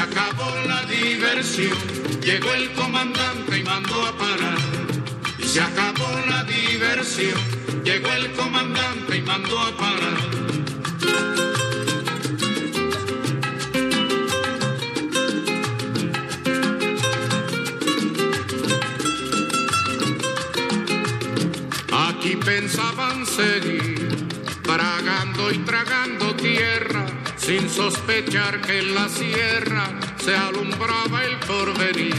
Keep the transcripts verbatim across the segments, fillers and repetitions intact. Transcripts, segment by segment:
acabó la diversión, llegó el comandante y mandó a parar. Y se acabó la diversión, llegó el comandante y mandó a parar. Aquí pensaban seguir, tragando y tragando tierra, sin sospechar que en la sierra se alumbraba el porvenir,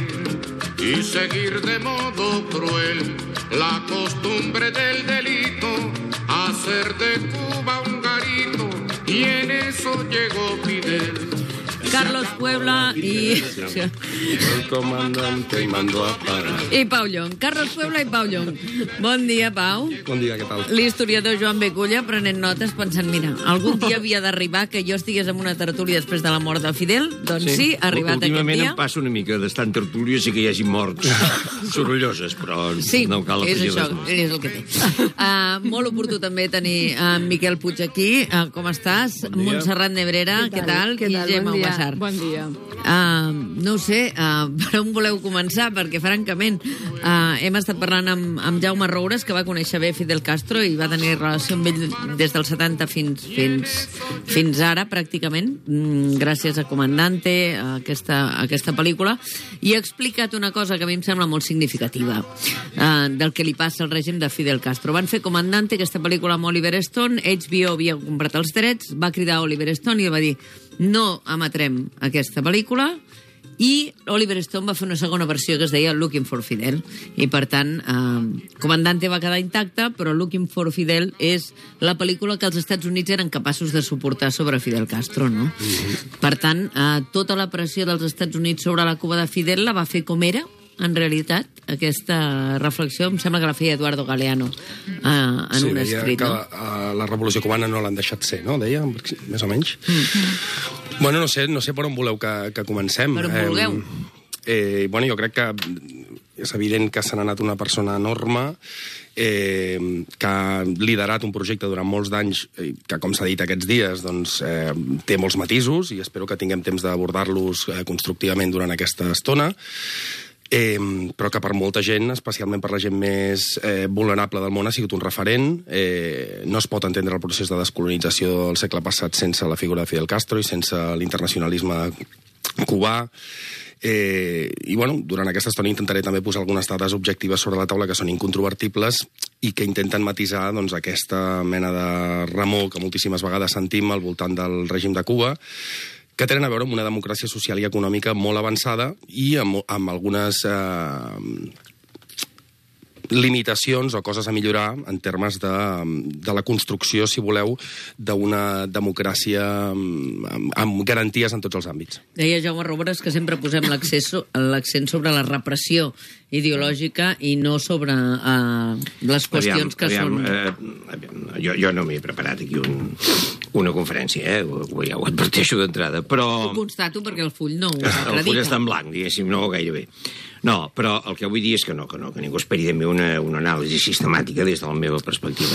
y seguir de modo cruel la costumbre del delito, hacer de Cuba un garito, y en eso llegó Fidel. Carlos Puebla i... El comandante i mandó a parar. I Pau Llong. Carlos Puebla i Pau Llong. Bon dia, Pau. Bon dia, què tal? L'historiador Joan Beculla prenent notes pensant, mira, algun dia havia d'arribar que jo estigués en una tertúlia després de la mort de Fidel. Doncs sí, sí ha arribat aquest dia. Últimament em passa una mica d'estar en tertúlia, sí que hi hagi morts sorolloses, però sí, no cal afegir és això, res més. és el que té. Uh, molt oportú també tenir en Miquel Puig aquí. Uh, com estàs? Bon Montserrat Nebrera, què tal? Què tal? I Gemma Bon dia. Ubassar. Bon dia. Uh, no ho sé, uh, per on voleu començar? Perquè, francament, uh, hem estat parlant amb, amb Jaume Roures, que va conèixer bé Fidel Castro i va tenir relació amb ell des dels setanta fins, fins, fins ara, pràcticament, mm, gràcies a Comandante, a aquesta, a aquesta pel·lícula, i ha explicat una cosa que a mi em sembla molt significativa uh, del que li passa al règim de Fidel Castro. Van fer Comandante, aquesta pel·lícula amb Oliver Stone, H B O havia comprat els drets, va cridar Oliver Stone i va dir no emetrem aquesta pel·lícula, i Oliver Stone va fer una segona versió que es deia Looking for Fidel, i per tant eh, Comandante va quedar intacta, però Looking for Fidel és la pel·lícula que els Estats Units eren capaços de suportar sobre Fidel Castro, no? Mm-hmm. Per tant, eh, tota la pressió dels Estats Units sobre la Cuba de Fidel la va fer com era, en realitat, aquesta reflexió em sembla que la feia Eduardo Galeano eh, en sí, un deia escrit, que no? la, la revolució cubana no l'han deixat ser, no? Deia, més o menys. Mm. Bueno, no sé, no sé per on voleu que, que comencem. Per on vulgueu. Eh, eh, bueno, jo crec que és evident que se n'ha anat una persona enorme, eh, que ha liderat un projecte durant molts d'anys, eh, que, com s'ha dit aquests dies, doncs, eh, té molts matisos, i espero que tinguem temps d'abordar-los eh, constructivament durant aquesta estona. Eh, però que per molta gent, especialment per la gent més eh, vulnerable del món, ha sigut un referent. Eh, no es pot entendre el procés de descolonització del segle passat sense la figura de Fidel Castro i sense l'internacionalisme cubà. Eh, I, bueno, durant aquesta estona intentaré també posar algunes dades objectives sobre la taula que són incontrovertibles i que intenten matisar doncs, aquesta mena de remor que moltíssimes vegades sentim al voltant del règim de Cuba, que tenen a veure amb una democràcia social i econòmica molt avançada i amb, amb algunes eh, limitacions o coses a millorar en termes de, de la construcció, si voleu, d'una democràcia amb, amb garanties en tots els àmbits. Deia Jaume Roures que sempre posem l'accent sobre la repressió ideològica i no sobre uh, les qüestions aviam, que aviam, són... Eh, aviam, jo, jo no m'he preparat aquí un, una conferència, eh? ho, ja ho adverteixo d'entrada, però... Ho constato perquè el full no ho acredita. El full està en blanc, diguéssim, no gairebé. No, però el que vull dir és que no, que no, que ningú esperi de mi una, una anàlisi sistemàtica des de la meva perspectiva.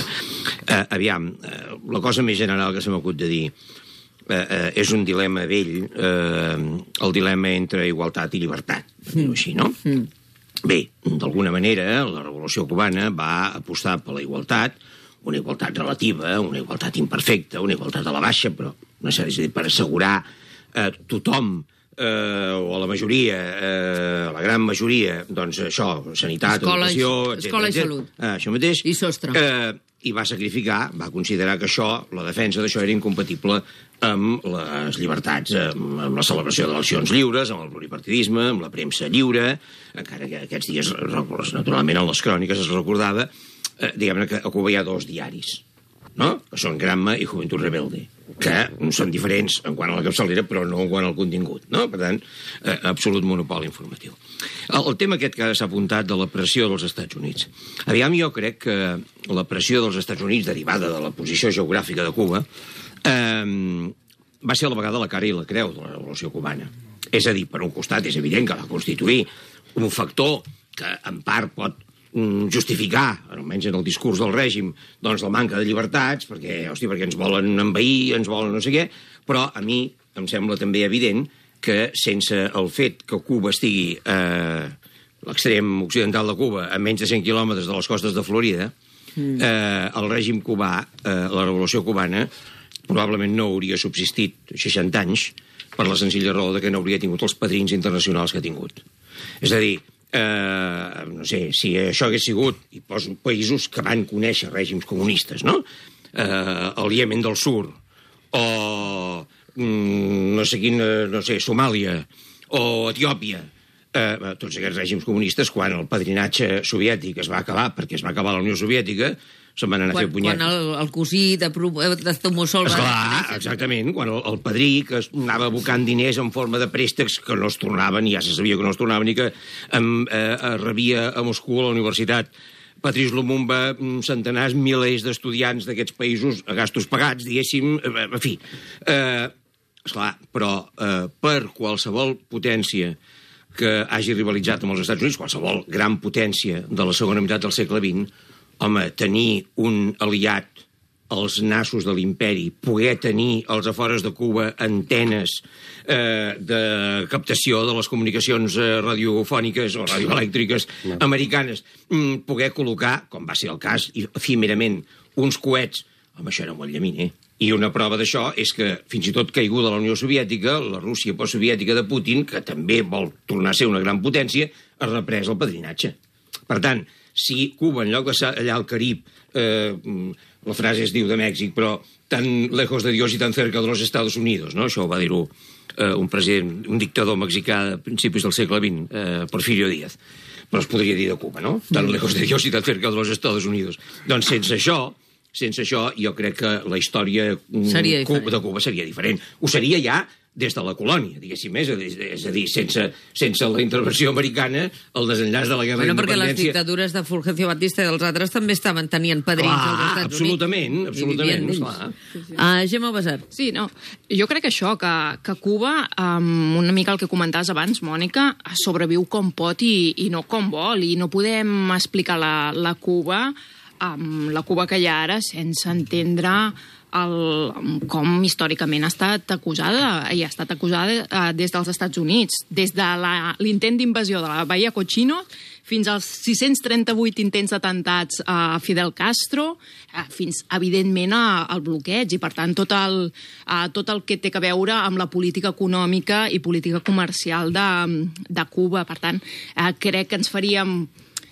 Eh, aviam, eh, la cosa més general que se m'acut de dir eh, eh, és un dilema vell, eh, el dilema entre igualtat i llibertat, mm. així, no? Mm. Bé, d'alguna manera, la revolució cubana va apostar per la igualtat, una igualtat relativa, una igualtat imperfecta, una igualtat a la baixa, però no sé, és a dir, per assegurar eh, tothom eh, o a la majoria, eh, a la gran majoria, doncs això, sanitat, escola, educació, etcètera. Escola i salut. Eh, això mateix. I sostre. Eh, I va sacrificar, va considerar que això, la defensa d'això era incompatible amb les llibertats, amb, amb la celebració d'eleccions lliures, amb el pluripartidisme, amb la premsa lliure, encara que aquests dies, naturalment, en les cròniques es recordava, eh, diguem-ne que a Cuba hi ha dos diaris, no? Que són Granma i Juventud Rebelde, que són diferents en quant a la capçalera, però no en quant al contingut, no? Per tant, eh, absolut monopoli informatiu. El, el tema aquest que s'ha apuntat de la pressió dels Estats Units. Aviam, jo crec que la pressió dels Estats Units, derivada de la posició geogràfica de Cuba, eh, va ser a la vegada la cara i la creu de la revolució cubana. És a dir, per un costat, és evident que va constituir un factor que, en part, pot justificar, almenys en el discurs del règim, doncs la manca de llibertats, perquè, hosti, perquè ens volen envair, ens volen no sé què, però a mi em sembla també evident que sense el fet que Cuba estigui a l'extrem occidental de Cuba, a menys de cent quilòmetres de les costes de Florida, mm. eh, el règim cubà, eh, la revolució cubana, probablement no hauria subsistit seixanta anys per la senzilla raó de que no hauria tingut els padrins internacionals que ha tingut. És a dir, eh, no sé, si això hagués sigut, i poso països que van conèixer règims comunistes, no? Eh, el Iemen del Sur, o mm, no sé quin, no sé, Somàlia, o Etiòpia, eh, tots aquests règims comunistes, quan el padrinatge soviètic es va acabar, perquè es va acabar la Unió Soviètica, se'n van anar quan, a fer punyetes. Quan el, el cosí de, de Tomosol va... Esclar, exactament, quan el, el padrí que anava buscant diners en forma de préstecs que no es tornaven, ja se sabia que no es tornaven, i que em, eh, rebia a Moscou a la universitat Patrice Lumumba centenars, milers d'estudiants d'aquests països a gastos pagats, diguéssim, en fi. Eh, esclar, però eh, per qualsevol potència que hagi rivalitzat amb els Estats Units, qualsevol gran potència de la segona meitat del segle vint, home, tenir un aliat als nassos de l'imperi, poder tenir als afores de Cuba antenes eh, de captació de les comunicacions eh, radiofòniques o radioelèctriques no. americanes, mm, poder col·locar, com va ser el cas, efímerament, uns coets, home, això era molt llaminer. I una prova d'això és que, fins i tot caiguda la Unió Soviètica, la Rússia postsoviètica de Putin, que també vol tornar a ser una gran potència, ha reprès el padrinatge. Per tant, si Cuba, en lloc de ser allà al Carib, eh, la frase es diu de Mèxic, però tan lejos de Dios y tan cerca de los Estados Unidos, no? Això ho va dir-ho eh, un president, un dictador mexicà a principis del segle vint, eh, Porfirio Díaz. Però es podria dir de Cuba, no? Tan lejos de Dios y tan cerca de los Estados Unidos. Doncs sense això, sense això, jo crec que la història seria Cuba, de Cuba seria diferent. Ho seria ja des de la colònia, diguéssim, és a dir, és a dir sense, sense la intervenció americana, el desenllaç de la guerra bueno, d'independència... Perquè les dictadures de Fulgencio Batista i els altres també estaven tenien padrins clar, als Estats absolutament, Units. absolutament, absolutament. Sí, sí. Uh, Gemma Basar. Sí, no, jo crec que això, que, que Cuba, um, una mica el que comentaves abans, Mònica, sobreviu com pot i, i no com vol, i no podem explicar la, la Cuba, um, la Cuba que hi ha ara, sense entendre... El, com històricament ha estat acusada i ha estat acusada eh, des dels Estats Units, des de l'intent d'invasió de la Bahia Cochino fins als sis-cents trenta-vuit intents d'atemptats a Fidel Castro, eh, fins, evidentment, a, al bloqueig, i, per tant, tot el, eh, tot el que té a veure amb la política econòmica i política comercial de, de Cuba. Per tant, eh, crec que ens faríem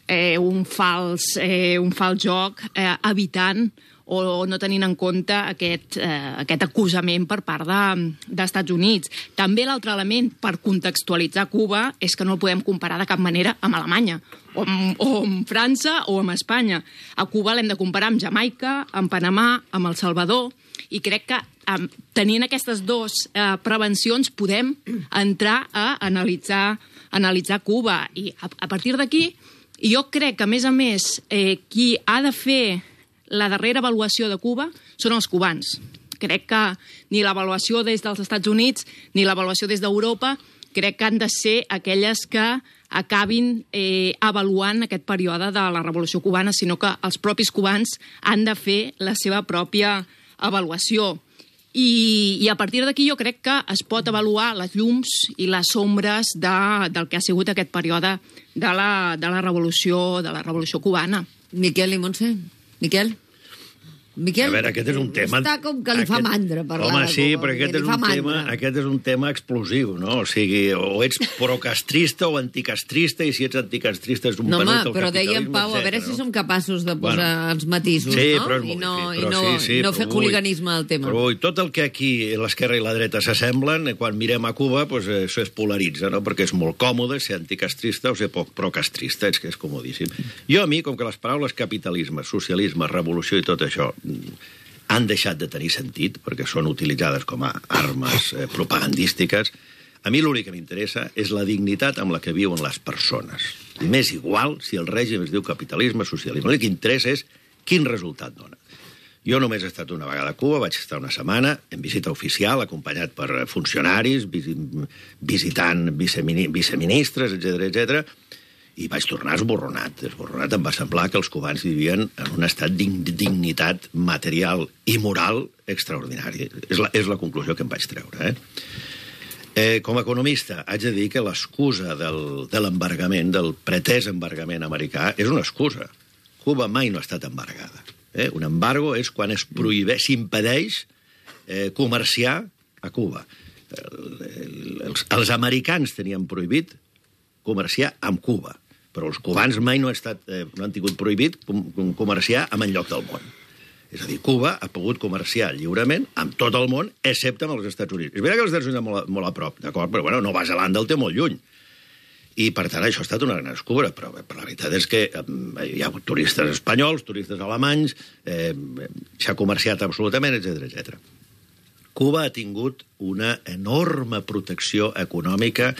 eh, un, fals, eh, un fals joc eh, evitant o no tenint en compte aquest, eh, aquest acusament per part de, dels Estats Units. També l'altre element per contextualitzar Cuba és que no el podem comparar de cap manera amb Alemanya, o amb, o amb França o amb Espanya. A Cuba l'hem de comparar amb Jamaica, amb Panamà, amb El Salvador, i crec que eh, tenint aquestes dues eh, prevencions podem entrar a analitzar, analitzar Cuba. I a, a partir d'aquí, jo crec que, a més a més, eh, qui ha de fer la darrera avaluació de Cuba són els cubans. Crec que ni l'avaluació des dels Estats Units ni l'avaluació des d'Europa crec que han de ser aquelles que acabin eh, avaluant aquest període de la Revolució Cubana, sinó que els propis cubans han de fer la seva pròpia avaluació. I, i a partir d'aquí jo crec que es pot avaluar les llums i les ombres de, del que ha sigut aquest període de la, de la Revolució, de la Revolució Cubana. Miquel i Montse? Miquel? Miquel? A veure, aquest és un tema... Està com que li fa aquest... mandra parlar Home, de sí, Cuba, però aquest és, un tema, aquest és un tema explosiu, no? O sigui, o ets procastrista o anticastrista, i si ets anticastrista és un no, penut home, però dèiem, Pau, a veure no? si som capaços de posar bueno, els matisos, sí, no? Però és I no, molt i no, sí, sí, i no fer hooliganisme al tema. Però ui, tot el que aquí l'esquerra i la dreta s'assemblen, quan mirem a Cuba, pues, això es polaritza, no? Perquè és molt còmode ser anticastrista o ser poc procastrista, és que és comodíssim. Jo, a mi, com que les paraules capitalisme, socialisme, revolució i tot això han deixat de tenir sentit, perquè són utilitzades com a armes eh, propagandístiques, a mi l'únic que m'interessa és la dignitat amb la que viuen les persones. I m'és igual si el règim es diu capitalisme, socialisme. L'únic que interessa és quin resultat dona. Jo només he estat una vegada a Cuba, vaig estar una setmana en visita oficial, acompanyat per funcionaris, visitant viceministres, etcètera, etcètera, i vaig tornar esborronat. Esborronat em va semblar que els cubans vivien en un estat d'indignitat material i moral extraordinari. És la, és la conclusió que em vaig treure. Eh? Eh, com a economista, haig de dir que l'excusa del, de l'embargament, del pretès embargament americà, és una excusa. Cuba mai no ha estat embargada. Eh? Un embargo és quan es prohibeix, s'impedeix eh, comerciar a Cuba. El, el, els, els americans tenien prohibit comerciar amb Cuba, però els cubans mai no, ha estat, eh, no han tingut prohibit com, com comerciar amb enlloc del món. És a dir, Cuba ha pogut comerciar lliurement amb tot el món, excepte amb els Estats Units. És veritat que els Estats Units estan molt, molt a prop, d'acord? Però, bueno, Nova Zelanda el té molt lluny. I, per tant, això ha estat una gran descobra, però, però la veritat és que eh, hi ha hagut turistes espanyols, turistes alemanys, eh, s'ha comerciat absolutament, etcètera, etcètera. Cuba ha tingut una enorme protecció econòmica,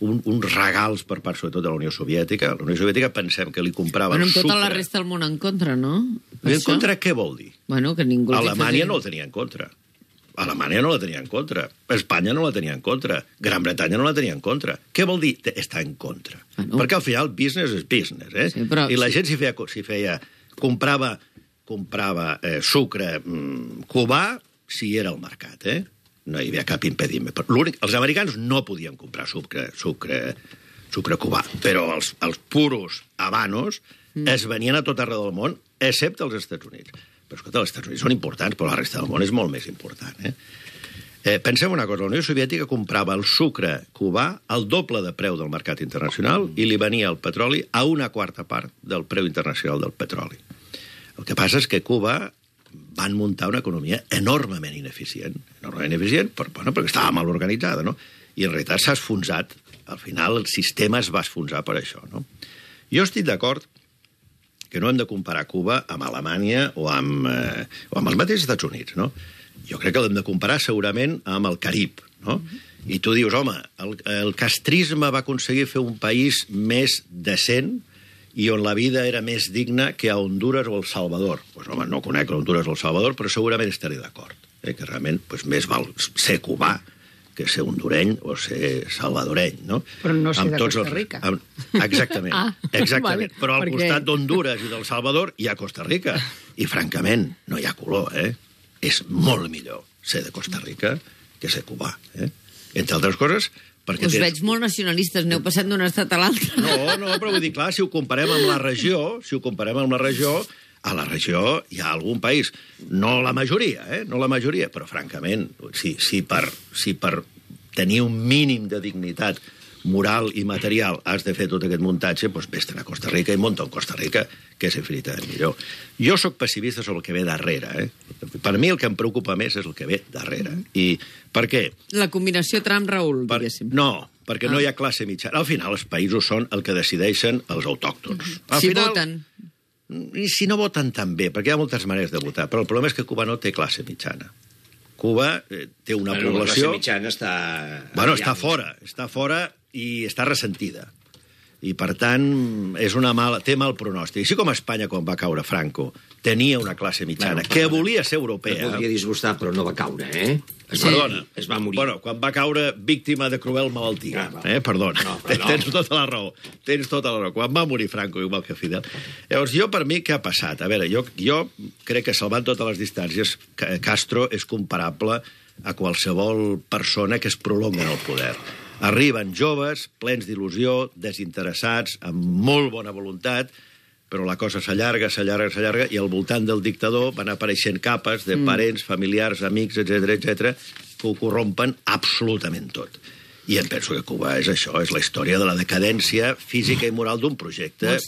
un, uns regals per part, sobretot, de la Unió Soviètica. La Unió Soviètica pensem que li comprava bueno, el sucre... Amb tota la resta del món en contra, no? I en contra què vol dir? Bueno, que ningú... Alemanya no el tenia en contra. Alemanya no la tenia en contra. Espanya no la tenia en contra. Gran Bretanya no la tenia en contra. Què vol dir estar en contra? Bueno. Perquè al final business és business, eh? Sí, però... I la gent s'hi feia, s'hi feia... Comprava, comprava eh, sucre mm, cubà si era al mercat, eh? No hi havia cap impediment. Els americans no podien comprar sucre, sucre, sucre cubà, però els, els puros habanos mm. es venien a tot arreu del món, excepte als Estats Units. Però, escolta, els Estats Units són importants, però la resta del món és molt més important. Eh? Eh, pensem una cosa, la Unió Soviètica comprava el sucre cubà al doble de preu del mercat internacional i li venia el petroli a una quarta part del preu internacional del petroli. El que passa és que Cuba van muntar una economia enormement ineficient, enormement ineficient, però, bueno, perquè estava mal organitzada, no? I en realitat s'ha esfonsat. Al final el sistema es va esfonsar per això, no? Jo estic d'acord que no hem de comparar Cuba amb Alemanya o amb, eh, o amb els mateixos Estats Units, no? Jo crec que l'hem de comparar segurament amb el Carib, no? I tu dius, home, el, el castrisme va aconseguir fer un país més decent i on la vida era més digna que a Honduras o El Salvador. Pues, home, no conec Honduras o El Salvador, però segurament estaré d'acord. Eh? Que realment pues, més val ser cubà que ser hondureny o ser salvadoreny, no? Però no ser amb de Costa els... Rica. Amb... Exactament, ah, exactament. Vale, però al perquè... costat d'Honduras i del Salvador hi ha Costa Rica. I, francament, no hi ha color, eh? És molt millor ser de Costa Rica que ser cubà, eh? Entre altres coses... Us tens... veig molt nacionalistes, n'heu passat d'un estat a l'altre. No, no, però vull dir, clar, si ho comparem amb la regió, si ho comparem amb la regió, a la regió hi ha algun país, no la majoria, eh? No la majoria, però francament, si, si, per, si per tenir un mínim de dignitat moral i material has de fer tot aquest muntatge, doncs vés-te'n a Costa Rica i munta en Costa Rica, que és infinitament millor. Jo sóc pessimista sobre el que ve darrere, eh? Per mi el que em preocupa més és el que ve darrere. I per què? La combinació Trump-Raül, per... diguéssim. No, perquè ah. no hi ha classe mitjana. Al final, els països són el que decideixen els autòctons. Al si final, voten. I si no voten també, perquè hi ha moltes maneres de votar, però el problema és que Cuba no té classe mitjana. Cuba eh, té una bueno, població... La classe mitjana està... Bueno, està fora, està fora i està ressentida. I, per tant, és una mala, té mal pronòstic. Així com Espanya, quan va caure Franco, tenia una classe mitjana bueno, que volia ser europea. No podria disgustar, però no va caure, eh? Es, perdona. Es va morir. Bueno, quan va caure víctima de cruel malaltia. Ah, eh? Perdona. No, no. Tens tota la raó. Tens tota la raó. Quan va morir Franco, igual que Fidel. Llavors, jo, per mi, què ha passat? A veure, jo, jo crec que, salvant totes les distàncies, Castro és comparable a qualsevol persona que es prolonga en el poder. Arriben joves, plens d'il·lusió, desinteressats, amb molt bona voluntat, però la cosa s'allarga, s'allarga, s'allarga, i al voltant del dictador van apareixent capes de parents, familiars, amics, etcètera, etcètera, que ho corrompen absolutament tot. I em penso que Cuba és això, és la història de la decadència física i moral d'un projecte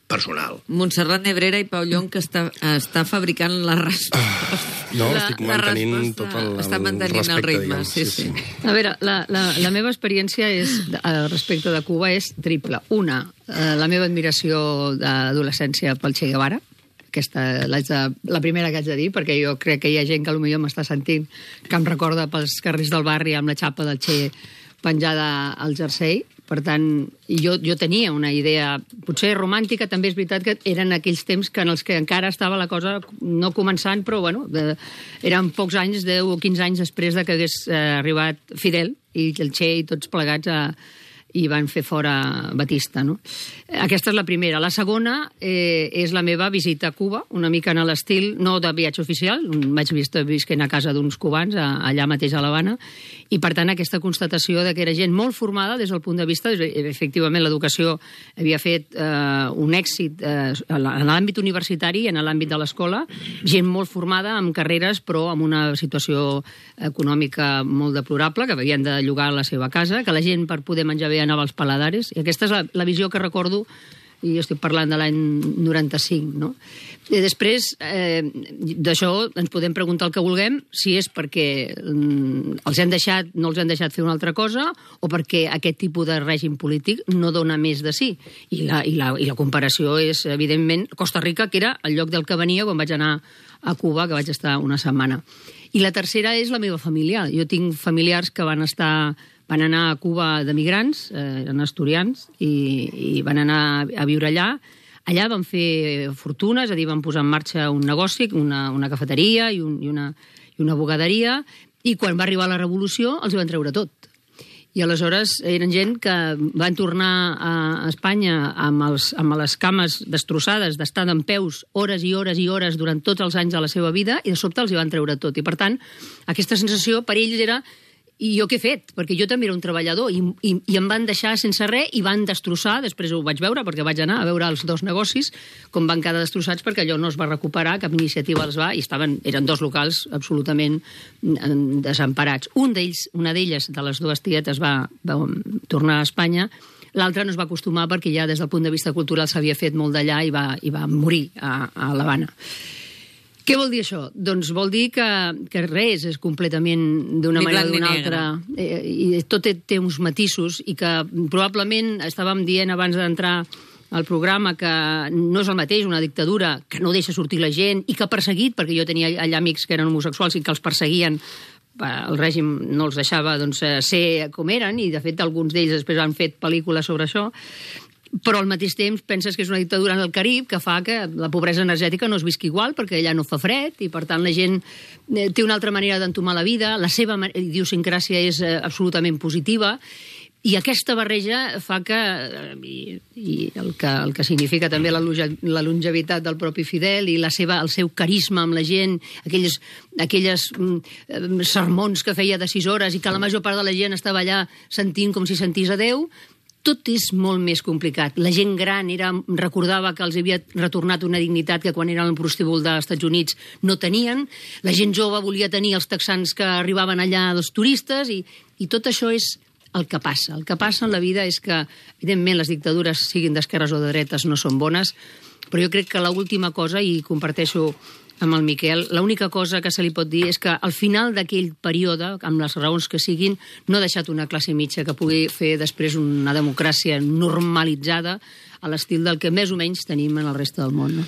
personal. Montserrat Nebrera i Pau Llong, que està, està fabricant la resposta. No, la, estic mantenint tot el, el està mantenint respecte, el ritme, diguem. sí, sí. sí. A veure, la, la, la meva experiència és, respecte de Cuba és triple. Una, la meva admiració d'adolescència pel Che Guevara, aquesta, de, la primera que haig de dir, perquè jo crec que hi ha gent que potser m'està sentint que em recorda pels carrers del barri amb la xapa del Che penjada al jersei. Per tant, jo, jo tenia una idea, potser romàntica, també és veritat que eren aquells temps que en els que encara estava la cosa no començant, però bueno, de, eren pocs anys, deu o quinze anys després de que hagués eh, arribat Fidel i el Che i tots plegats a, i van fer fora Batista, no? Aquesta és la primera. La segona eh, és la meva visita a Cuba, una mica en l'estil, no de viatge oficial, vaig vistar visquent a casa d'uns cubans, a, allà mateix a l'Havana, I, per tant, aquesta constatació de que era gent molt formada des del punt de vista... Efectivament, l'educació havia fet eh, un èxit eh, en l'àmbit universitari i en l'àmbit de l'escola, gent molt formada, amb carreres, però amb una situació econòmica molt deplorable, que havien de llogar la seva casa, que la gent, per poder menjar bé, anava als paladares, i aquesta és la, la visió que recordo, i jo estic parlant de l'any noranta-cinc, no? I després, eh, d'això ens podem preguntar el que vulguem, si és perquè mm, els han deixat, no els han deixat fer una altra cosa, o perquè aquest tipus de règim polític no dona més de sí. I la, i la, i la comparació és, evidentment, Costa Rica, que era el lloc del que venia quan vaig anar a Cuba, que vaig estar una setmana. I la tercera és la meva família. Jo tinc familiars que van estar... van anar a Cuba de migrants, eh, eren asturians, i, i van anar a viure allà. Allà van fer fortuna, és a dir, van posar en marxa un negoci, una, una cafeteria i, un, i, una, i una bogaderia, i quan va arribar la revolució els van treure tot. I aleshores eren gent que van tornar a Espanya amb, els, amb les cames destrossades, d'estar dempeus hores i hores i hores durant tots els anys de la seva vida, i de sobte els hi van treure tot. I, per tant, aquesta sensació per ells era... I jo què he fet? Perquè jo també era un treballador i, i, i em van deixar sense res i van destrossar, després ho vaig veure perquè vaig anar a veure els dos negocis, com van quedar destrossats perquè allò no es va recuperar, cap iniciativa els va, i estaven, eren dos locals absolutament desemparats. Un d'ells, una d'elles, de les dues tietes, va, va tornar a Espanya, l'altre no es va acostumar perquè ja des del punt de vista cultural s'havia fet molt d'allà i, va, i va morir a, a l'Havana. Què vol dir això? Doncs vol dir que, que res és completament d'una manera o d'una altra. Eh, I tot té, té uns matisos i que probablement estàvem dient abans d'entrar al programa que no és el mateix una dictadura que no deixa sortir la gent i que ha perseguit, perquè jo tenia allà amics que eren homosexuals i que els perseguien, el règim no els deixava doncs, ser com eren, i de fet alguns d'ells després han fet pel·lícules sobre això. Però al mateix temps penses que és una dictadura en el Carib que fa que la pobresa energètica no es visqui igual perquè allà no fa fred i per tant la gent té una altra manera d'entomar la vida, la seva idiosincràsia és absolutament positiva i aquesta barreja fa que, i, i el, que el que significa també la, la longevitat del propi Fidel i la seva, el seu carisma amb la gent, aquelles, aquelles mm, sermons que feia de sis hores i que la major part de la gent estava allà sentint com si sentís a Déu, tot és molt més complicat. La gent gran era, recordava que els havia retornat una dignitat que quan eren al prostíbul dels Estats Units no tenien. La gent jove volia tenir els texans que arribaven allà, els turistes, i, i tot això és el que passa. El que passa en la vida és que, evidentment, les dictadures, siguin d'esquerres o de dretes, no són bones, però jo crec que l'última cosa, i comparteixo amb el Miquel, l'única cosa que se li pot dir és que al final d'aquell període, amb les raons que siguin, no ha deixat una classe mitja que pugui fer després una democràcia normalitzada a l'estil del que més o menys tenim en el reste del món. No?